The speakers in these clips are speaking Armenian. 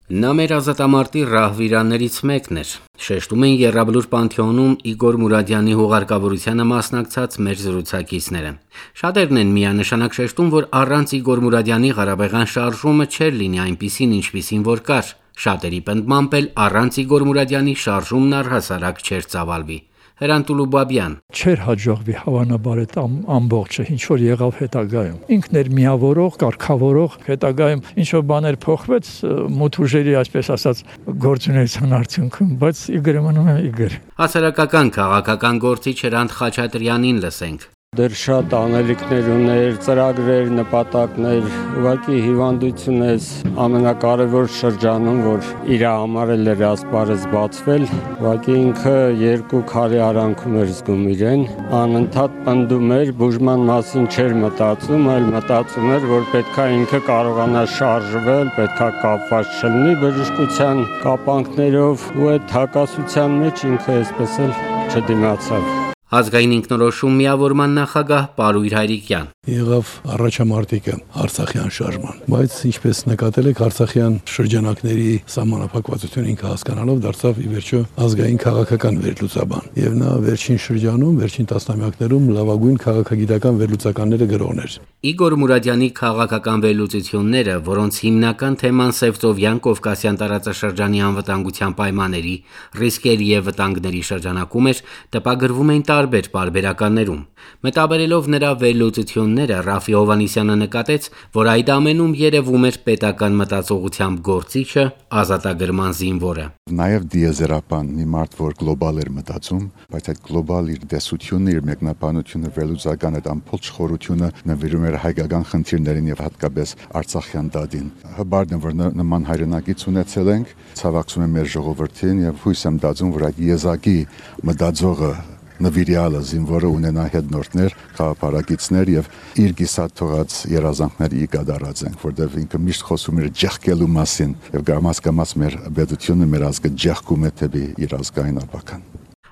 Նա մեր ազատամարտի ռահվիրաններից մեկն էր։ Շեշտում են Եռաբլուր Պանթեոնում Իգոր Մուրադյանի հուղարկավորությանը մասնակցած մեր զրուցակիցները։ Շատերն են միանշանակ շեշտում, որ առանց Իգոր Մուրադյանի Ղարաբաղյան շարժումը չէր լինի այնպիսին, ինչպիսին որ կար։ Շատերի պնդմամբ էլ առանց Իգոր Մուրադյանի շարժումն առհասարակ չէր ծավալվի։ Հրանտ Ուլուբաբյան. Չէր հաջողվի հավանաբար այդ ամբողջը, ինչ որ եղավ հետագայում։ Ինքն էր միավորող, կարգավորող, հետագայում ինչ որ բաներ փոխվեց մութ ուժերի, այսպես ասած, գործունեության արդյունքում, բայց Իգորը մնում է Իգոր։ Հասարակական քաղաքական գործիչ Հրանտ Խաչատրյանին լսենք։ Դեռ շատ անելիքներ ուներ, ծրագրեր, նպատակներ, ուղղակի հիվանդություն է ամենակարևոր շրջանում, որ իր համար էլ էր ասպարեզ բացվել, ուղղակի ինքը երկու քարի արանքում էր զգում իրեն, անընդհատ պնդում էր, բուժման մասին չէր մտածում, այլ մտածում էր, որ պետքա ինքը կարողանա շարժվել, պետքա կապված չլինի բժշկության կապանքներով, ու այդ հակասության մեջ ինքը այսպես էլ չդիմացավ։ Ազգային ինքնորոշում միավորման նախագահ Պարույր Հայրիկյան. Եղավ առաջամարտիկը Արցախյան շարժման, բայց ինչպես նկատել եք, Արցախյան շրջանակների սահմանափակվածությունը ինքը հասկանալով դարձավ ի վերջո ազգային քաղաքական վերլուծաբան, եւ նա վերջին շրջանում, վերջին տասնամյակներում լավագույն քաղաքագիտական վերլուծականները գրողն էր։ Իգոր Մուրադյանի քաղաքական վերլուծությունները, որոնց հիմնական թեման Սևծովյան Կովկասյան տարածաշրջանի անվտանգության պայմանների, ռիսկերի եւ վտանգների շրջանակում էր, տպագրվում էին տարբեր պարբերականներում։ Մտաբերելով նրա վերլուծությունները, Ռաֆի Հովհաննիսյանը նկատեց, որ այդ ամենում երևում էր պետական մտածողությամբ գործիչը, ազատագրման զինվորը։ Նաև դիեզերապան մի մարդ, որ գլոբալ էր մտածում, բայց այդ գլոբալ իր տեսությունը, իր մեկնաբանությունը, վերլուծական այդ ամփոփ խորությունը նվիրում էր հայկական խնդիրներին եւ հատկապես Արցախյան դատին։ Հբարդ է, որ նման հայրենակից ունեցել ենք, ցավակցում եմ մեր ժողովրդին եւ հույս եմ դածում, որ այդ եզակի մտածողը նվիրյալը զինվորը ունենա հետնորդներ, քաղաքապարագիցներ եւ իր գիսատ թողած երազանքների կատարած ենք, որտեղ ինքը միշտ խոսում էր ջեղկելու մասին եւ գամած մեր բեդությունը մեր ազգը ջեղկում է դեպի իր ազգային ապական։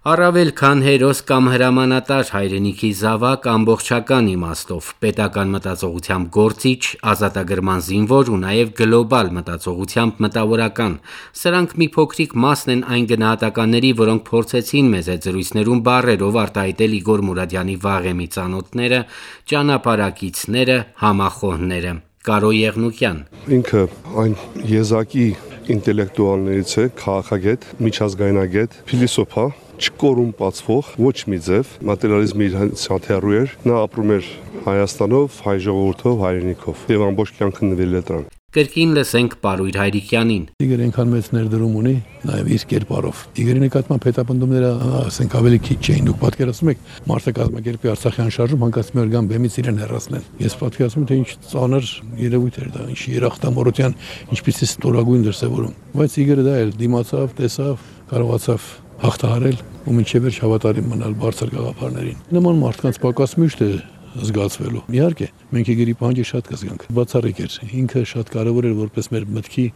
Առավել քան հերոս կամ հրամանատար հայրենիքի զավակ ամբողջական իմաստով պետական մտածողությամբ գործիչ, ազատագրման զինվոր ու նաև գլոբալ մտածողությամբ մտավորական։ Սրանք մի փոքրիկ մասն են այն գնահատականների, որոնք փորձեցին մեզ այդ զրույցներում բառերով արտահայտել Իգոր Մուրադյանի վաղեմի ծանոթները, ճանապարհակիցները, համախոհները։ Կարո Եղնուկյան. Ինքը այն եզակի ինտելեկտուալներից է, քաղաքագետ, միջազգայնագետ, փիլիսոփա, չկորումպացվող, ոչ մի ձև, մատերիալիզմի իր հաթեռու էր, նա ապրում էր Հայաստանով, հայ ժողովրդով, հայրենիքով եւ ամբողջ կյանքը նվիրել է դրան։ Կրկին լսենք Պարույր Հայրիկյանին. Իգորը այնքան մեծ ներդրում ունի նաև իր կերպարով։ Իգորի նկատմամբ հետապնդումները, ասենք, ավելի քիչ չէին։ Դուք պատկերացնում եք, մարդը կազմակերպի Արցախյան շարժում, հանկարծ մի օր գան բեմից իրեն հեռացնեն։ Ես պատկերացնում եմ, թե ինչ ծանր երևույթ էր դա, ինչ երախտամորության, ինչպիսի ստորագույն դրսևորում։ Բայց Իգորը դա էլ դիմացավ, տեսավ, կարողացավ հաղթահարել ու մինչև վերջ հավատարիմ մնալ բարձր գաղափարներին։ Նման մարդկանց պակաս միշտ է զգացվելու։ Իհարկե, մենք Իգորի պահանջը շատ կզգանք։ Բացառիկ էր։ Ինքը շատ կարևոր էր որպես մեր մտքի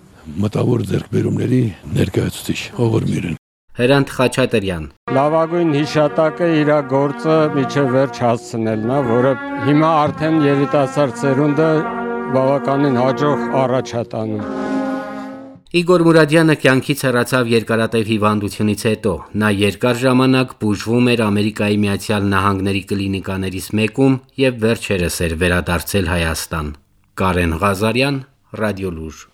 մտավոր ձեռքբերումների ներկայացուցիչ, ողորմիրն։ Հրանտ Խաչատրյան. Լավագույն հիշատակը իր գործը միջև վերջ հասցնելն է, որը հիմա արդեն երիտասարդ սերունդը բավականին հաջող առաջ է տանում։ Իգոր Մուրադյանը կյանքից հեռացավ երկարատև հիվանդությունից հետո։ Նա երկար ժամանակ բուժվում էր Ամերիկայի Միացյալ Նահանգների կլինիկաներից մեկում եւ վերջերս էր վերադարձել Հայաստան։ Կարեն Ղազարյան, Ռադիոլուր։